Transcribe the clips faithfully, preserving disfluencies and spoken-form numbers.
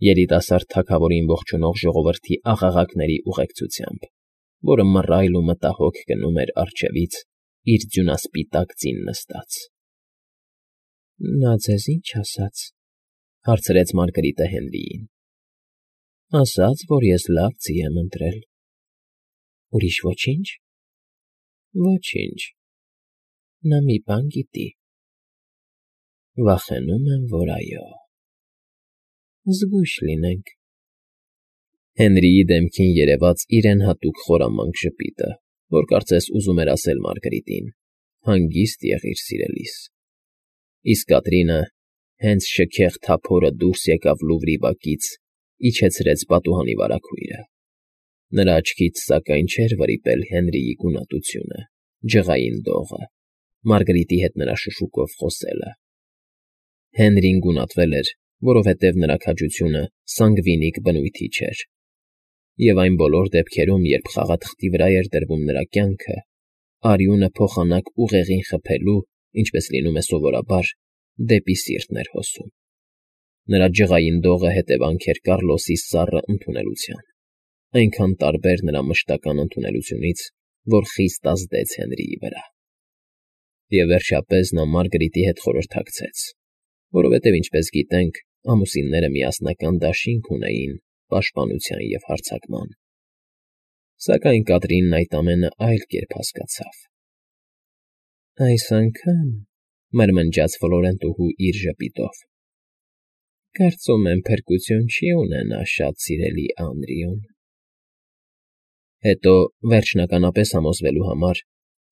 Երիտասարդ թագավորին ողջունող ժողովրդի աղաղակների ուղեկցությամբ, որը մռայլ ու մտահոգ գնում էր առջևից իր ձյունասպիտակ ձին նստած։ ֊ Նա ձեզ ի՞նչ ասաց,֊ հարցրեց Մարգարիտը Հենրիին։ ֊ Ասաց, որ ես լավ ձի եմ ընտրել։ ֊ Ուրիշ ոչի՞նչ։ ֊ Ոչինչ։ Նա մի բան գիտի։ ֊ Վախենում եմ, որ այո։ ֊ Զգույշ լինենք։ Հենրիի դեմքին երևաց իրեն հատուկ խորամանկ ժպիտը, որ կարծես ուզում էր ասել Մարգարիտին. «Հանգիստ եղիր, սիրելիս»։ Իսկ Կատրինը, հենց շքեղ թափորը դուրս եկավ լուվրի բակից, իջեցրեց պատուհանի վարագույրը։ Նրա աչքից, սակայն, չէր վրիպել Հենրիի գունատությունը, ջղային դողը, Մարգարիտի հետ նրա շշուկով խոսելը։ Հենրին գունատվել էր, որովհետև նրա քաջությունը սանգվինիկ բնույթի չէր, և այն բոլոր դեպքերում, երբ խաղաթղթի վրա էր դրվում նրա կյանքը, արյունը փոխանակ ուղեղին խփելու, ինչպես լինում է սովորաբար, դեպի սիրտն էր հոսում։ Նրա ջղային դողը հետևանք էր Կառլոսի սառը ընդունելության, այնքան տարբեր նրա մշտական ընդունելությունից, որ խիստ ազդեց Հենրիի վրա։ Եվ վերջապես նա Մարգարիտի հետ խորհրդակցեց, որովհետև, ինչպես գիտենք, ամուսինները միասնական դաշինք ունեին պաշտպանության և հարձակման։ Սակայն Կատրինն այդ ամենը այլ կերպ հասկացավ։ ֊ Այս անգամ,֊ մրմնջաց Ֆլորենտուհու իր ժպիտով,֊ կարծում եմ փրկություն չի ունենա շատ սիրելի Անրիուն։ Հետո, վերջնականապես համոզվելու համար,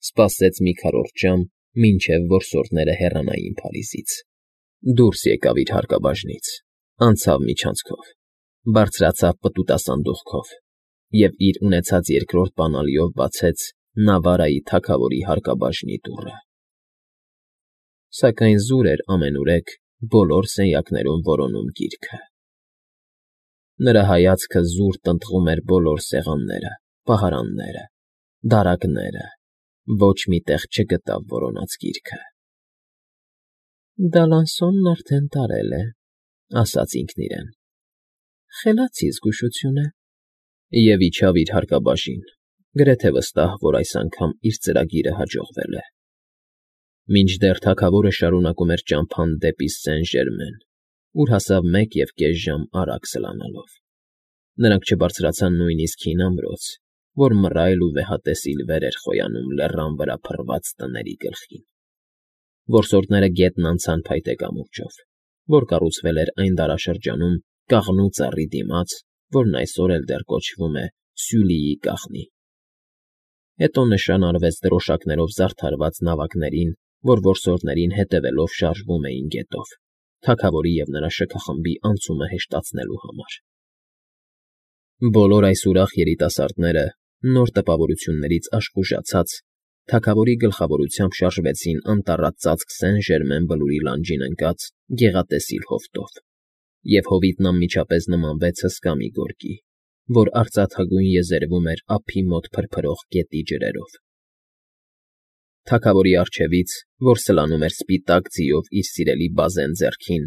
սպասեց մի քառորդ ժամ, մինչև որսորդները հեռանային Փարիզից, դուրս եկավ իր հարկաբաժնից, անցավ միջանցքով, բարձրացավ պտուտասանդուղքով և իր ունեցած երկրորդ բանալիով բացեց Նավարայի թագավորի հարկաբաժնի դուռը։ Սակայն զուր էր ամենուրեք բոլոր սենյակներում որոնում գիրքը։ Նրա հայացքը զուր տնտղում էր բոլոր սեղանները, պահարանները, դարակները, ոչ մի տեղ չգտավ որոնած գիրքը։ «Դալանսոնն արդեն տարել է,֊ ասաց ինքն իրեն,֊ խելացի զգուշություն է,» և իջավ իր հարկաբաժին, գրեթե վստահ, որ այս անգամ իր ծրագիրը հաջողվել է։ Մինչդեռ թագավորը շարունակում էր ճամփան դեպի Սեն Ժերմեն, ուր հասավ մեկ և կես ժամ արագ սլանալով։ Նրանք չբարձրացան նույնիսկ հին ամրոց, որ մռայլ ու վեհատեսիլ վեր էր խոյանում լեռան վրա փռված տների գլխին։ Որսորդները գետն անցան փայտե կամուրջով, որ կառուցվել էր այն դարաշրջանում կաղնու ծառի դիմաց, որն այսօր էլ դեռ կոչվում է Սյուլիի կաղնի։ Հետո նշան արվեց դրոշակներով զարդարված նավակներին, որ որսորդներին հետևելով շարժվում էին գետով, թագավորի և նրա շքախմբի անցումը հեշտացնելու համար։ Բոլոր այս ուրախ երիտասարդները, նոր տպավորություններից աշխուժացած, թագավորի գլխավորությամբ շարժվեցին անտառած ծածկ Սեն Ժերմեն բլուրի լանջին ընկած գեղատեսիլ հովտով, և հովիտն անմիջապես նմանվեց հսկա մի գորգի, որ արծաթագույն եզերվում էր ափի մոտ փրփրող գետի ջրերով։ Թագավորի առջևից, որ սլանում էր սպիտակ ձիով իր սիրելի բազեն ձեռքին,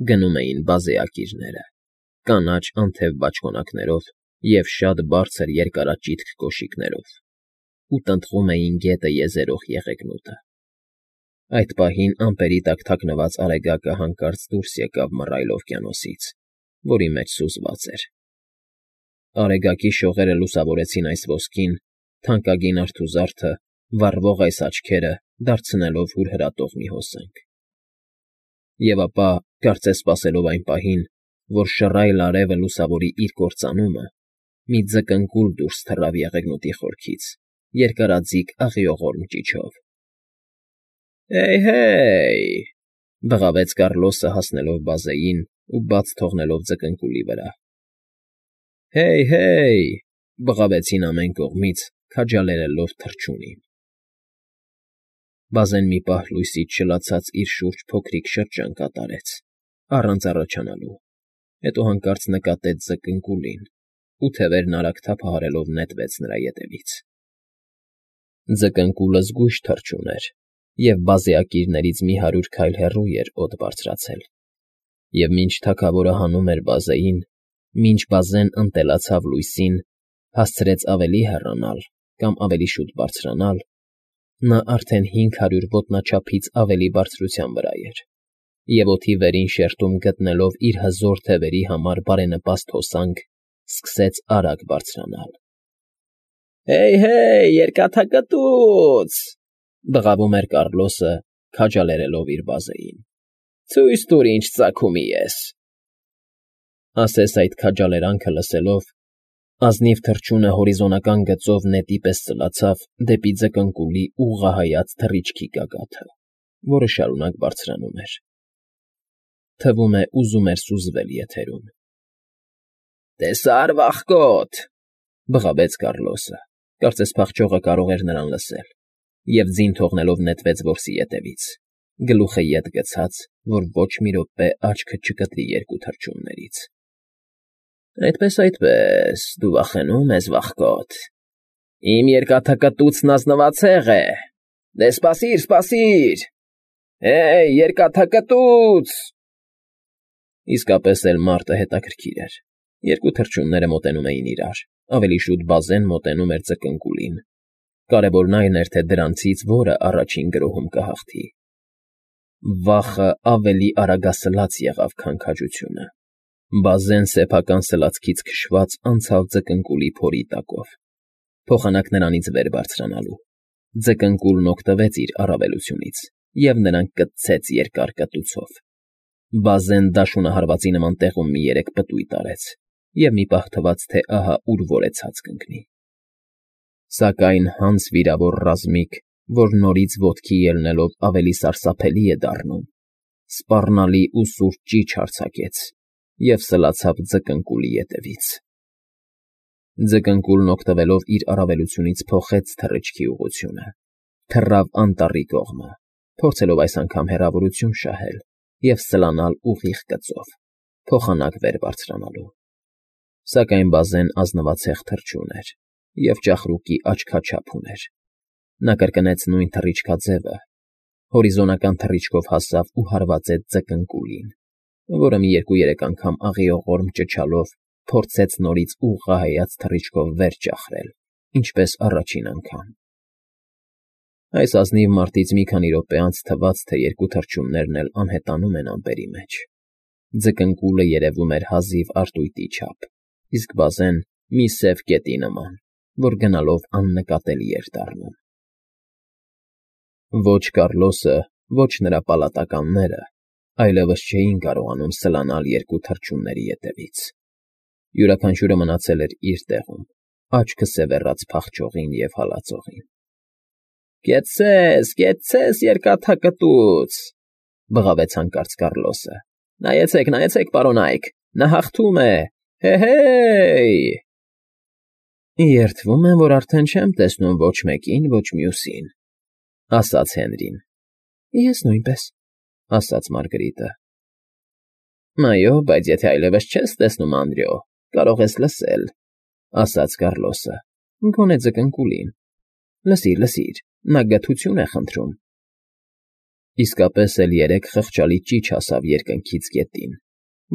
գնում էին բազեակիրները՝ կանաչ անթև բաճկոնակներով և շատ բարձր երկարաճիթք կոշիկներով, ու տնտղում էին գետը եզերող եղեգնուտը։ Այդ պահին ամպերի տակ թաքնված Արեգակը հանկարծ դուրս եկավ մռայլ օվկիանոսից, որի մեջ սուզված էր։ Արեգակի շողերը լուսավորեցին այս ոսկին, թանկագին արթուզարդը, վառվող այս աչքերը դարձնելով հուրհրատող մի հոսանք։ Եվ ապա, կարծես սպասելով այն պահին, որ շռայլ արևը լուսավորի իր կործանումը, մի ձկնկուլ դուրս թռավ եղեգնուտի խորքից, երկարաձիգ աղիողորմ ճիչով։ «Հեյ֊հե՜յ,֊ բղավեց Կառլոսը հասնելով բազեին ու բաց թողնելով ձկնկուլի վրա։ «Հեյ֊հե՜յ,֊ բղավեցին ամեն կողմից, քաջալերելով թռչունին»։ Բազեն մի պահ լույսից չլացած իր շուրջ փոքրիկ շրջան կատարեց, առանց առաջանալու, հետո հանկարծ նկատեց ձկնկուլին ու թևերն արագ թափահարելով նետվեց նրա ետևից։ Ձկնկուլը զգույշ թռչուն էր և բազեակիրներից մի հարյուր քայլ հեռու էր օդ բարձրացել։ Եվ մինչ թագավորը հանում էր բազեին, մինչ բազեն ընտելացավ լույսին, հասցրեց ավելի հեռանալ կամ ավելի շուտ բարձրանալ, նա արդեն հինգ հարյուր ոտնաչափից ավելի բարձրության վրա էր, և օդի վերին շերտում գտնելով իր հզոր թևերի համար բարենպաստ հոսանք, սկսեց արագ բարձրանալ։ «Հեյ, երկաթակտուց,֊ բղավում էր Կառլոսը, քաջալերելով իր բազեին,֊ ցույց տուր ինչ ծագումի ես»։ Ասես այդ քաջալերանքը լսելով, ազնիվ թռչունը հորիզոնական գծով նետի պես ծլացավ դեպի ձկնկուլի ուղղահայաց թռիչքի գագաթը, որը շարունակ բարձրանում էր։ Թվում է, ուզում էր սուզվել եթերում։ «Տեսա՞ր, վախկոտ,֊ բղավեց Կառլոսը, կարծես փախչողը կարող էր նրան լսել, և ձին թողնելով նետվեց որսի ետևից, գլուխը ետ գցած, որ ոչ մի րոպե աչքը չկտրի երկու թռչուններից։ Այդպես, այդպես, դու վախենու՞մ ես, վախկոտ… Իմ երկաթակտուցն ազնվացեղ է… Դե սպասիր, սպասիր… Հեյ, երկաթակտուց…» Իսկապես էլ մարտը հետաքրքիր էր։ Երկու թռչունները մոտենում էին իրար, ավելի շուտ բազեն մոտենում էր ձկնկուլին, կարևորն այն էր, թե դրանցից որը առաջին գրոհում կհաղթի։ Վախը ավելի արագասլաց եղավ, քան քաջությունը։ Բազեն սեփական սլացքից քշված անցավ ձկնկուլի փորի տակով, փոխանակ նրանից վեր բարձրանալու։ Ձկնկուլն օգտվեց իր առավելությունից և նրան կտցեց երկար կտուցով։ Բազեն դաշունահարվածի նման տեղում մի երեք պտույտ արեց, և մի պահ թվաց, թե ահա ուր որեցած կընկնի։ Սակայն հանց վիրավոր ռազմիկ, որ նորից ոտքի ելնելով ավելի սարսափելի է դառնում, սպառնալի ու սուր ճիչ արձակեց և սլացավ ձկնկուլի ետևից։ Ձկնկուլն օգտվելով իր առավելությունից փոխեց թռիչքի ուղղությունը, թռավ անտառի կողմը, փորձելով այս անգամ հեռավորություն շահել և սլանալ ուղիղ գծով, փոխանակ վեր բարձրանալու։ Սակայն բազեն ազնվացեղ թռչուն էր և ճախրուկի աչքաչափ ուներ։ Նա կրկնեց նույն թռիչքաձևը, հորիզոնական թռիչքով հասավ ու հարվածեց ձկնկուլին, որը մի երկու֊երեք անգամ աղիողորմ ճչալով փորձեց նորից ուղղահայաց թռիչքով վեր ճախրել, ինչպես առաջին անգամ։ Այս ազնիվ մարտից մի քանի րոպե անց թվաց, թե երկու թռչուններն էլ անհետանում են ամպերի մեջ։ Ձկնկուլը երևում էր հազիվ արտույտի չափ, իսկ բազեն՝ մի սև կետի նման, որ գնալով աննկատելի էր դառնում։ Ոչ Կառլոսը, ոչ նրա պալատականները այլևս չէին կարողանում սլանալ երկու թռչունների ետևից։ Յուրաքանչյուրը մնացել էր իր տեղում, աչքը սևեռած փախչողին և հալածողին։ «Կեցցե՛ս, կեցցե՛ս, երկաթակտուց,֊ բղավեց հանկարծ Կառլոսը։ Նայեցեք, նայեցեք, պարոնայք, նա հաղթում է… Հե՜հ֊հե՜յ»։ «Երդվում եմ, որ արդեն չեմ տեսնում ոչ մեկին, ոչ մյուսին,֊ ասաց Հենրին։ Ես նույնպես,֊ ասաց Մարգրիտը։ Այո, բայց եթե այլևս չես տեսնում Անդրեո, կարող ես լսել,֊ ասաց Կառլոսը, գոնե ձկնկուլին։ Լսիր, լսիր, նա գթություն է խնդրում։ Իսկապես էլ երեք խղճալի ճիչ հասավ երկնքից գետին,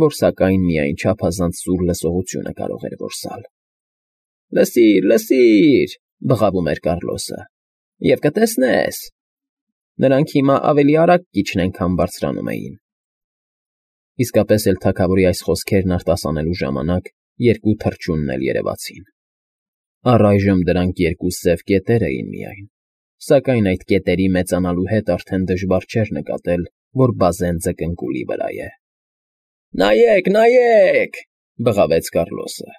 որ սակայն միայն չափազանց սուր լսողությունը կարող էր որսալ։ «Լսիր, լսիր,֊ բղավում էր Կառլոսը,֊ և կտեսնես… Նրանք հիմա ավելի արագ կիջնեն, քան բարձրանում էին»։ Իսկապես էլ թագավորի այս խոսքերն արտասանելու ժամանակ երկու թռչունն էլ երևացին։ Առայժմ դրանք երկու սև կետեր էին միայն, սակայն այդ կետերի մեծանալու հետ արդեն դժվար չէր նկատել, որ բազեն ձկնկուլի վրա է։ «Նայեք, նայեք,֊ բղավեց Կառլոսը,֊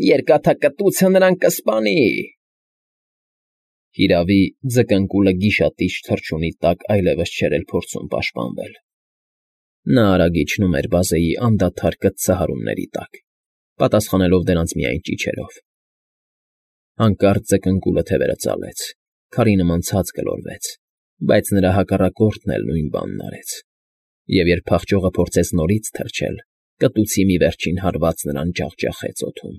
երկաթակտուցը նրան կսպանի»։ Հիրավի, ձկնկուլը գիշատիչ թռչունի տակ այլևս չէր էլ փորձում պաշտպանվել։ Նա արագ իջնում էր բազեի անդադար կծծահարումների տակ, պատասխանելով դրանց միայն ճիչերով։ Հանկարծ ձկնկուլը թևերը ծալեց, քարի նման ցած գլորվեց, բայց նրա հակառակորդն էլ նույն բանն արեց, և երբ փախչողը փորձեց նորից թռչել, կտուցի մի վերջին հարված նրան ջախջախեց օդում։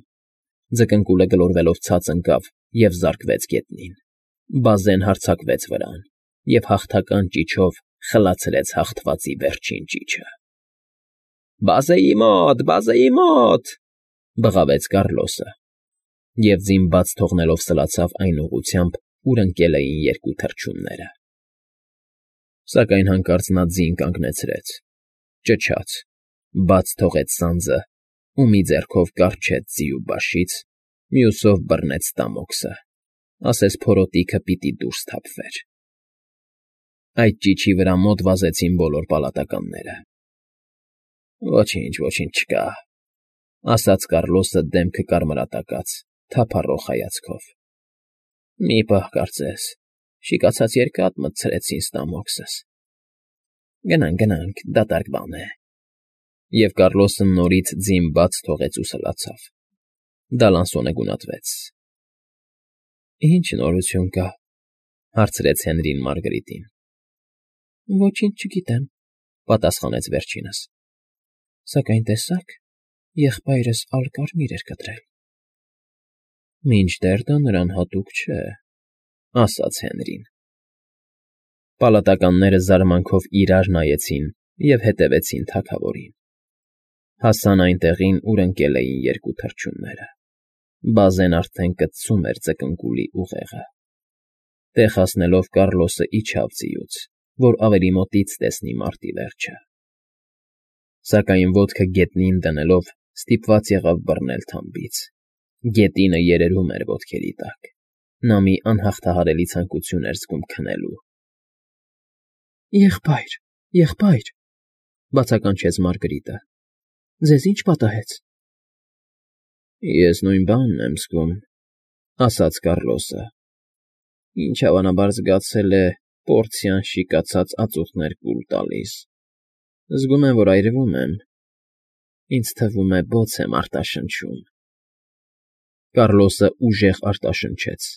Ձկնկուլը գլորվելով ցած ընկավ և զարկվեց գետնին։ Բազեն հարձակվեց վրան և հաղթական ճիչով խլացրեց հաղթվածի վերջին ճիչը։ Բազեի մոտ, բազեի մոտ,֊ բղավեց Կառլոսը, և ձին բաց թողնելով սլացավ այն ուղղությամբ, ուր ընկել էին երկու թռչունները։ Սակայն հանկարծ նա ձին կանգնեցրեց, ճչաց, բաց թողեց սանձը ու մի ձեռքով կառչեց ձիու բաշից, մյուսով բռնեց ստամոքսը, ասես փորոտիքը պիտի դուրս թափվեր։ Այդ ճիչի վրա մոտ վազեցին բոլոր պալատականները։ «Ոչինչ, ոչինչ չկա,֊ ասաց Կառլոսը դեմքը կարմրատակած, թափառող հայացքով։֊ Մի պահ կարծես, շիկացած երկաթ մտցրեցին ստամոքսս։ Գնանք, գնանք, դատարկ բան է…» Եվ Կառլոսը նորից ձին բաց թողեց ու սլացավ։ Դալանսոնը գունատվեց։ «Ի՞նչ նորություն կա,֊ հարցրեց Հենրին Մարգրիտին։ ֊ Ոչինչ չգիտեմ,֊ պատասխանեց վերջինս,֊ սակայն տեսա՞ք, եղբայրս ալկարմիր էր կտրել։ ֊ Մինչդեռ դա նրան հատուկ չէ,֊ ասաց Հենրին։ Պալատականները զարմանքով իրար նայեցին և հետևեցին թագավորին։ Հասան այն տեղին, ուր ընկել էին երկու թռչունները։ Բազեն արդեն կծում էր ձկնկուլի ուղեղը։ Տեղ հասնելով Կառլոսը իջավ ձիուց, որ ավելի մոտից տեսնի մարտի վերջը։ Սակայն ոտքը գետնին դնելով ստիպված եղավ բռնել թամբից։ Գետինը երերում էր ոտքերի տակ։ Նա մի անհաղթահարելի ցանկություն էր զգում քնելու։ ֊ Եղբայր, եղբայր,֊ բացականչեց Մարգրիտը,֊ ձեզ ի՞նչ պատահեց։ ֊ Ես նույն բանն եմ զգում,֊ ասաց Կառլոսը, ինչ հավանաբար զգացել է պորցիան շիկացած ածուխներ կուլ տալիս. զգում եմ, որ այրվում եմ, ինձ թվում է բոց եմ արտաշնչում… Կառլոսը ուժեղ արտաշնչեց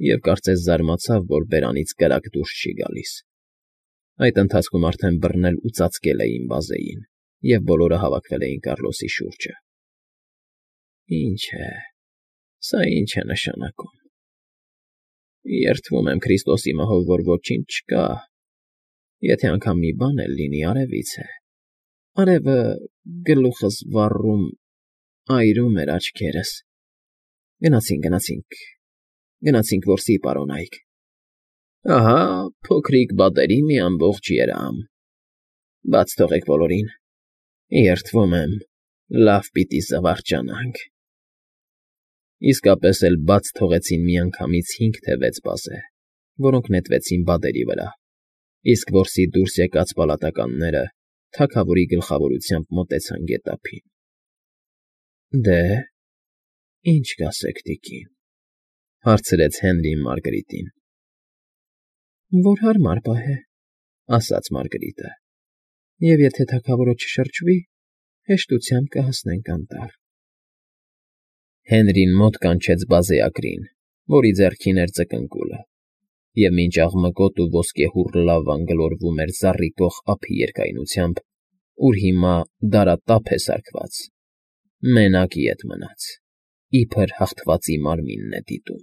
և կարծես զարմացավ, որ բերանից կրակ դուրս չի գալիս։ Այդ ընթացքում արդեն բռնել ու ծածկել էին բազեին, և բոլորը հավաքվել էին Կառլոսի շուրջը։ ֊ Ինչ է, սա ինչ է նշանակում… Երդվում եմ Քրիստոսի մահով, որ ոչինչ չկա… Եթե անգամ մի բան էլ լինի, արևից է… Արևը գլուխս վառում, այրում էր աչքերս… Գնացինք, գնացինք, գնացինք որսի պարոնայք… Ահա փոքրիկ բատերի մի ամբողջ երամ… Բաց թողեք բոլորին… Երդվում եմ, լավ պիտի զվարճանանք… Իսկապես էլ բաց թողեցին միանգամից հինգ թե վեց բազե, որոնք նետվեցին բադերի վրա, իսկ որսի դուրս եկած պալատականները թագավորի գլխավորությամբ մոտեցան գետափին։ ֊ Դե՞, ինչ կասեք, տիկին,֊ հարցրեց Հենրին Մարգրիտին։ ֊ Որ հարմար պահե,֊ ասաց Մարգրիտը,֊ և եթե թագավորը չշրջվի, հեշտությամբ կհասնենք անտառ։ Հենրին մոտ կանչեց բազեակրին, որի ձեռքին էր ձկնկուլը, և մինչ աղմկոտ ու ոսկեհուռ լավան գլորվում էր զառիվող ափի երկայնությամբ, ուր հիմա դարատափ է սարքված, մենակ ետ մնաց, իբր հաղթվածի մարմինն է դիտում։